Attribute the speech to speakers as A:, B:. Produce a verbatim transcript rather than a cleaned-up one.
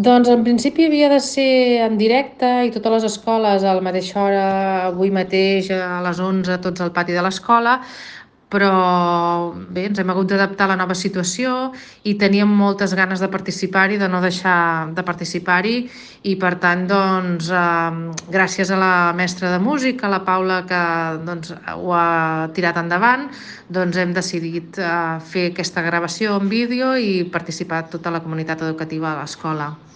A: Doncs en principi havia de ser en directe i totes les escoles a la mateixa hora, avui mateix a les onze, tots al pati de l'escola, però bé, ens hem hagut d'adaptar a la nova situació i teníem moltes ganes de participar-hi, de no deixar de participar-hi i per tant, doncs, eh, gràcies a la mestra de música, la Paula, que doncs, ho ha tirat endavant, doncs hem decidit eh, fer aquesta gravació en vídeo i participar tota la comunitat educativa a l'escola.